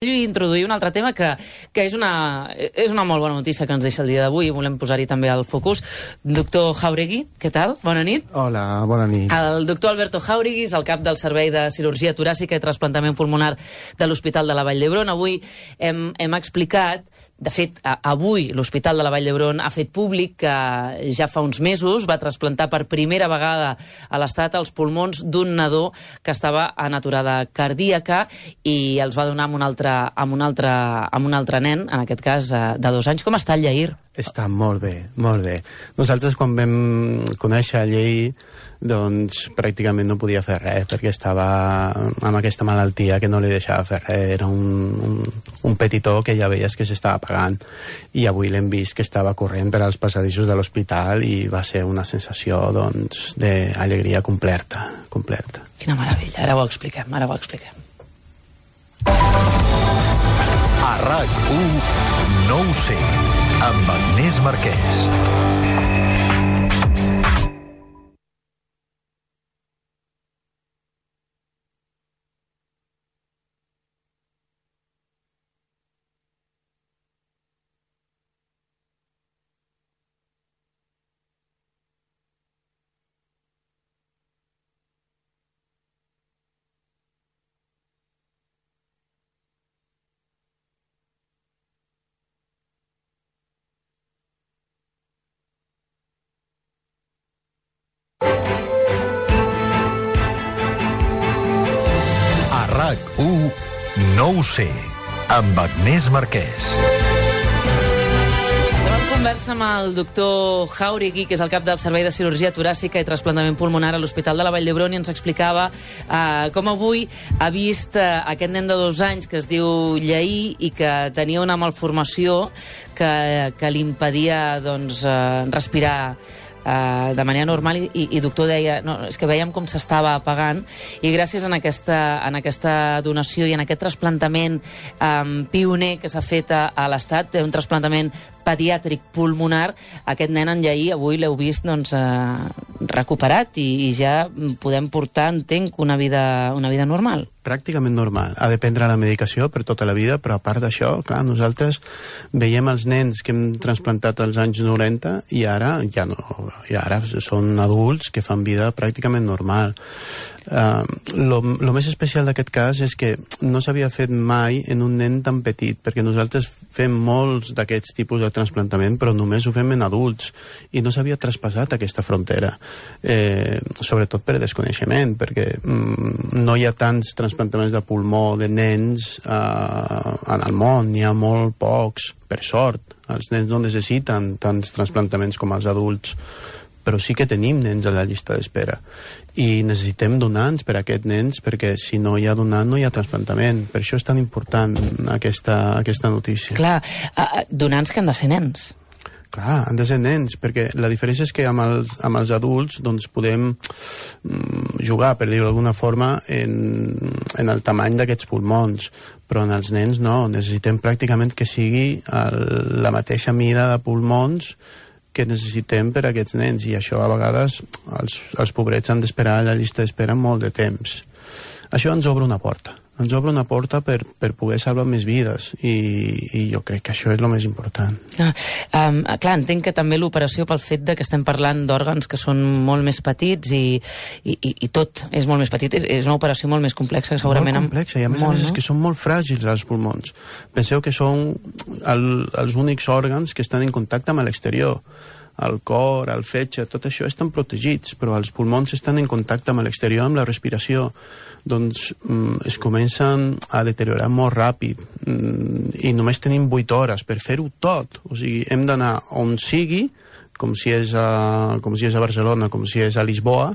introduir un altre tema que és una molt bona notícia que ens deixa el dia d'avui i volem posar-hi també al focus. Doctor Jáuregui, què tal? Bona nit. Hola, bona nit. El doctor Alberto Jáuregui és el cap del Servei de Cirurgia Toràcica i Trasplantament Pulmonar de l'Hospital de la Vall d'Hebron. Avui hem explicat, de fet, avui l'Hospital de la Vall d'Hebron ha fet públic que ja fa uns mesos va trasplantar per primera vegada a l'Estat els pulmons d'un nadó que estava en aturada cardíaca i els va donar amb un altre nen, en aquest cas de 2 anys. Com està el Lleir? Està molt bé, molt bé. Nosaltres quan vam conèixer el Lleir, doncs pràcticament no podia fer res perquè estava amb aquesta malaltia que no li deixava fer res. Era un petitó que ja veies que s'estava apagant i avui l'hem vist que estava corrent per als passadissos de l'hospital i va ser una sensació doncs d'alegria completa. Quina meravella, ara ho expliquem. A RAC1 no ho sé, amb Agnès Marquès. RAC1 no ho sé, amb Agnès Marquès. Estem en conversa amb el doctor Jáuregui, que és el cap del Servei de Cirurgia Toràcica i Trasplantament Pulmonar a l'Hospital de la Vall d'Hebron, i ens explicava com avui ha vist aquest nen de 2 anys que es diu Lleir i que tenia una malformació que li impedia respirar de manera normal i doctor deia, no, és que veiem com s'estava apagant i gràcies a aquesta donació i en aquest trasplantament pioner que s'ha fet a l'Estat, un trasplantament pediàtric pulmonar, aquest nen, en Lleir, avui l'heu vist recuperat i ja podem portar, entenc, una vida normal. Pràcticament normal. Ha de prendre la medicació per tota la vida, però a part d'això, clar, nosaltres veiem els nens que hem transplantat als anys 90 i ara ja no, i ara són adults que fan vida pràcticament normal. Lo més especial d'aquest cas és que no s'havia fet mai en un nen tan petit, perquè nosaltres fem molts d'aquests tipus de trasplantament, però només ho fem en adults i no s'havia traspassat aquesta frontera, sobretot per desconeixement, perquè no hi ha tants trasplantaments de pulmó de nens en el món, n'hi ha molt pocs, per sort. Els nens no necessiten tants trasplantaments com els adults, però sí que tenim nens a la llista d'espera i necessitem donants per a aquests nens, perquè si no hi ha donant no hi ha trasplantament. Per això és tan important aquesta notícia. Clar, donants que han de ser nens. Clar, han de ser nens, perquè la diferència és que amb els adults doncs podem jugar, per dir-ho d'alguna forma, en el tamany d'aquests pulmons, però en els nens no, necessitem pràcticament que sigui la mateixa mida de pulmons que necessitem per a aquests nens, i això a vegades els pobrets han d'esperar a la llista d'espera molt de temps. Això ens obre una porta per poder salvar més vides i jo crec que això és el més important. Clar, entenc que també l'operació, pel fet de que estem parlant d'òrgans que són molt més petits i tot és molt més petit, és una operació molt més complexa, segurament. Molt complexa, i a més és que són molt fràgils els pulmons. Penseu que són els únics òrgans que estan en contacte amb l'exterior. El cor, el fetge, tot això estan protegits, però els pulmons estan en contacte amb l'exterior, amb la respiració. Doncs es comencen a deteriorar molt ràpid i només tenim 8 hores per fer-ho tot. O sigui, hem d'anar on sigui, com si és a Barcelona, com si és a Lisboa,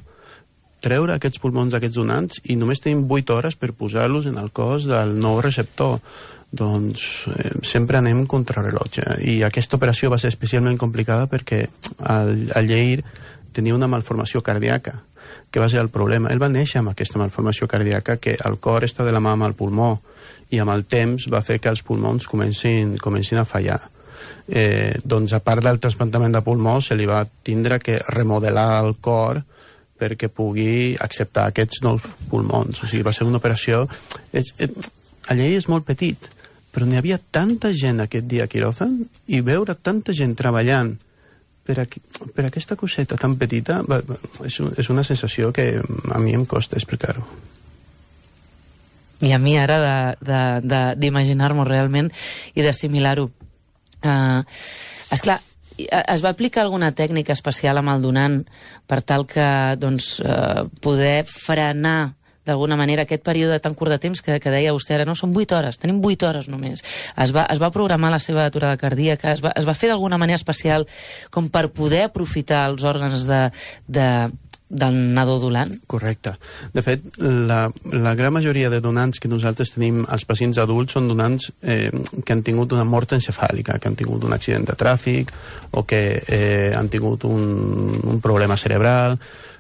treure aquests pulmons d'aquests donants i només tenim 8 hores per posar-los en el cos del nou receptor. Doncs sempre anem contra rellotge, i aquesta operació va ser especialment complicada perquè el Lleir tenia una malformació cardíaca, que va ser el problema. Ell va néixer amb aquesta malformació cardíaca, que el cor està de la mà amb el pulmó, i amb el temps va fer que els pulmons comencin a fallar. Doncs a part del trasplantament de pulmó se li va tindre que remodelar el cor perquè pugui acceptar aquests nous pulmons. O sigui, va ser una operació... El Lleir és molt petit, però n'hi havia tanta gent aquest dia a quiròfan i veure tanta gent treballant per aquesta coseta tan petita és una sensació que a mi em costa explicar-ho. I a mi ara d'imaginar-m'ho realment i d'assimilar-ho. Esclar, es va aplicar alguna tècnica especial amb el donant per tal que poder frenar d'alguna manera aquest període tan curt de temps que deia vostè ara, no? Són 8 hores, tenim 8 hores només. Es va programar la seva aturada cardíaca, es va fer d'alguna manera especial com per poder aprofitar els òrgans del nadó donant? Correcte. De fet, la gran majoria de donants que nosaltres tenim als pacients adults són donants que han tingut una mort encefàlica, que han tingut un accident de tràfic o que han tingut un problema cerebral.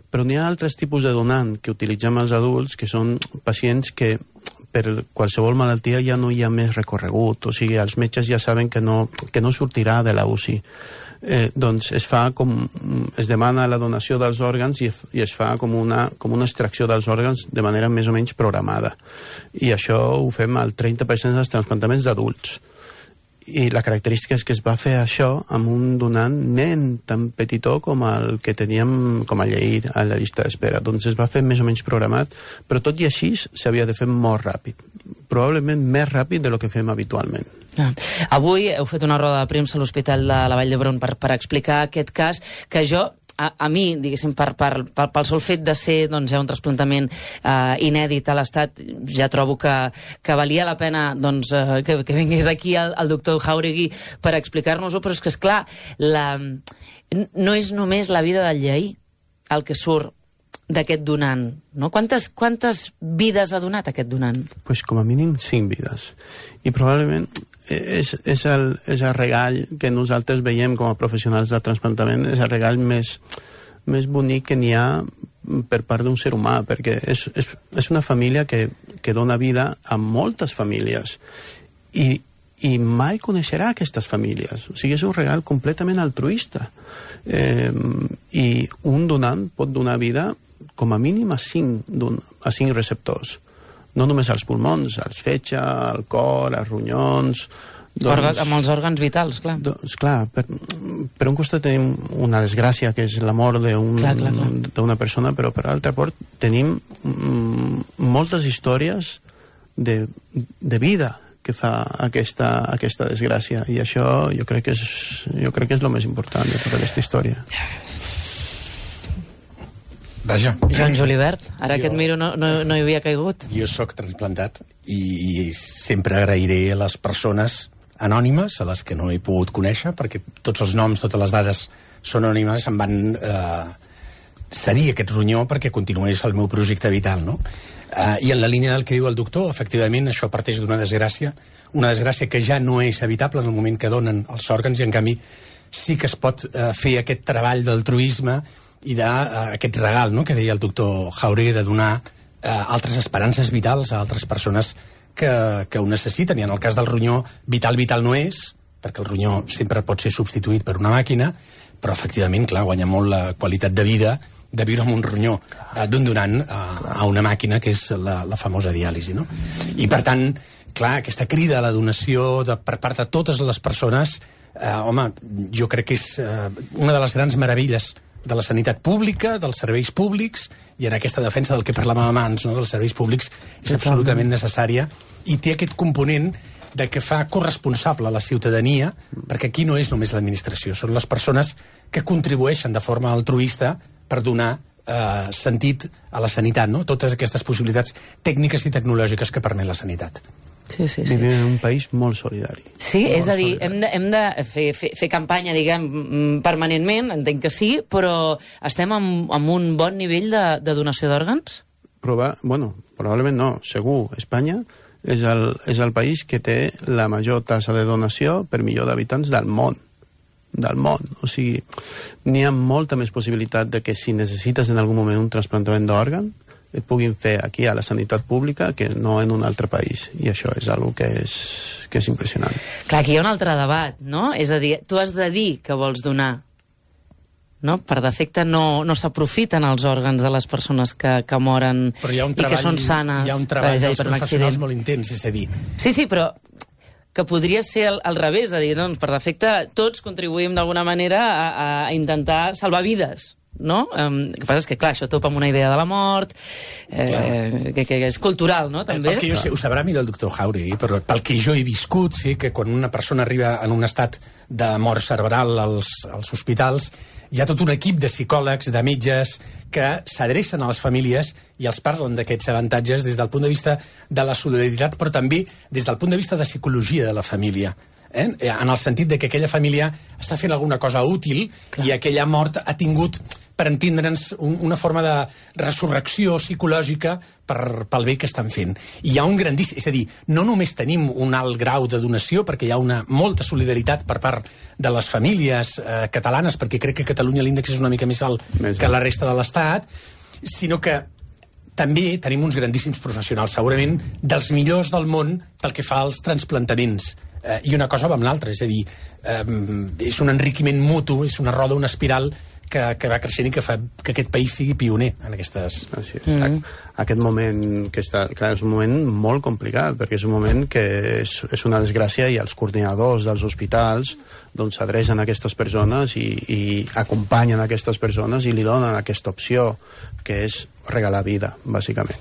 Però n'hi ha altres tipus de donant que utilitzem els adults, que són pacients que per qualsevol malaltia ja no hi ha més recorregut, o sigui, els metges ja saben que no sortirà de la UCI. Doncs es demana la donació dels òrgans i es fa com una extracció dels òrgans de manera més o menys programada. I això ho fem al 30% dels trasplantaments d'adults. I la característica és que es va fer això amb un donant nen tan petitó com el que teníem com a lleir a la llista d'espera. Doncs es va fer més o menys programat, però tot i així s'havia de fer molt ràpid. Probablement més ràpid del que fem habitualment. Avui heu fet una roda de premsa a l'Hospital de la Vall d'Hebron per explicar aquest cas que jo, a mi, diguéssim, pel sol fet de ser un trasplantament inèdit a l'Estat, ja trobo que valia la pena que vingués aquí el doctor Jauregui per explicar-nos-ho, però és que, esclar, no és només la vida del llei el que surt d'aquest donant, no? Quantes vides ha donat aquest donant? Pues com a mínim 5 vides. I probablement és el regall que nosaltres veiem com a professionals de trasplantament, és el regall més bonic que n'hi ha per part d'un ser humà, perquè és una família que dona vida a moltes famílies i mai coneixerà aquestes famílies. O sigui, és un regal completament altruista. I un donant pot donar vida com a mínim a 5 receptors. No només als pulmons, als fetge, al cor, als ronyons... Amb els òrgans vitals, clar. Clar, per un costat tenim una desgràcia, que és la mort d'una persona, però per l'altre part tenim moltes històries de vida que fa aquesta desgràcia, i això jo crec que és el més important de tota aquesta història. Vaja. Joan Julibert, ara que et miro no hi havia caigut. Jo sóc transplantat i sempre agrairé a les persones anònimes, a les que no he pogut conèixer, perquè tots els noms, totes les dades són anònimes, em van cedir aquest ronyó perquè continués el meu projecte vital, no? I en la línia del que diu el doctor, efectivament, això parteix d'una desgràcia que ja no és evitable en el moment que donen els òrgans, i en canvi sí que es pot fer aquest treball d'altruisme i d'aquest regal, no?, que deia el doctor Jauregui, de donar altres esperances vitals a altres persones que ho necessiten. I en el cas del ronyó, vital no és, perquè el ronyó sempre pot ser substituït per una màquina, però efectivament, clar, guanya molt la qualitat de vida de viure amb un ronyó d'un donant a una màquina, que és la famosa diàlisi, no? I per tant, clar, aquesta crida a la donació per part de totes les persones, home, jo crec que és una de les grans meravelles de la sanitat pública, dels serveis públics, i en aquesta defensa del que parlàvem abans, no?, dels serveis públics, és absolutament necessària, i té aquest component de que fa corresponsable a la ciutadania, perquè aquí no és només l'administració, són les persones que contribueixen de forma altruista per donar sentit a la sanitat, no?, totes aquestes possibilitats tècniques i tecnològiques que permet la sanitat. Sí. Vivim en un país molt solidari. Sí, és a dir, hem de fer campanya, diguem, permanentment, entenc que sí, però estem amb un bon nivell de donació d'òrgans? Probablement no, segur. Espanya és el país que té la major tassa de donació per milió d'habitants del món. O sigui, n'hi ha molta més possibilitat de que si necessites en algun moment un trasplantament d'òrgan, et puguin fer aquí a la sanitat pública que no en un altre país, i això és una que és impressionant. Clar, aquí hi ha un altre debat, no? És a dir, tu has de dir que vols donar, no? Per defecte no s'aprofiten els òrgans de les persones que moren i que són sanes. Hi ha un treball dels professionals molt intens, és a dir. Sí, però que podria ser al revés, de dir, doncs, per defecte, tots contribuïm d'alguna manera a intentar salvar vides, no? El que passa és que, clar, això topa amb una idea de la mort, que és cultural, no?, també. Perquè jo sé, ho sabrà millor el doctor Jauregui, però pel que jo he viscut, sí que quan una persona arriba en un estat de mort cerebral als hospitals, hi ha tot un equip de psicòlegs, de metges, que s'adrecen a les famílies i els parlen d'aquests avantatges des del punt de vista de la solidaritat, però també des del punt de vista de psicologia de la família. En el sentit de que aquella família està fent alguna cosa útil. Clar. I aquella mort ha tingut, per entendre'ns, una forma de resurrecció psicològica pel bé que estan fent. I hi ha un grandíssim... És a dir, no només tenim un alt grau de donació, perquè hi ha molta solidaritat per part de les famílies catalanes, perquè crec que a Catalunya l'índex és una mica més alt que la resta de l'Estat, sinó que també tenim uns grandíssims professionals, segurament dels millors del món pel que fa als transplantaments. I una cosa va amb l'altra, és a dir, és un enriquiment mutu, és una roda, una espiral que va creixent i que fa que aquest país sigui pioner en aquestes... Així és. Aquest moment que està... Clar, és un moment molt complicat, perquè és un moment que és una desgràcia i els coordinadors dels hospitals doncs s'adrecen a aquestes persones i acompanyen aquestes persones i li donen aquesta opció, que és regalar vida, bàsicament.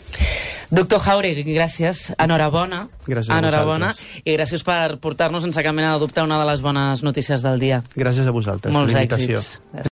Doctor Jauregui, gràcies. Enhorabona. Gràcies a vosaltres. I gràcies per portar-nos sense cap mena de dubte una de les bones notícies del dia. Gràcies a vosaltres. Molts èxits.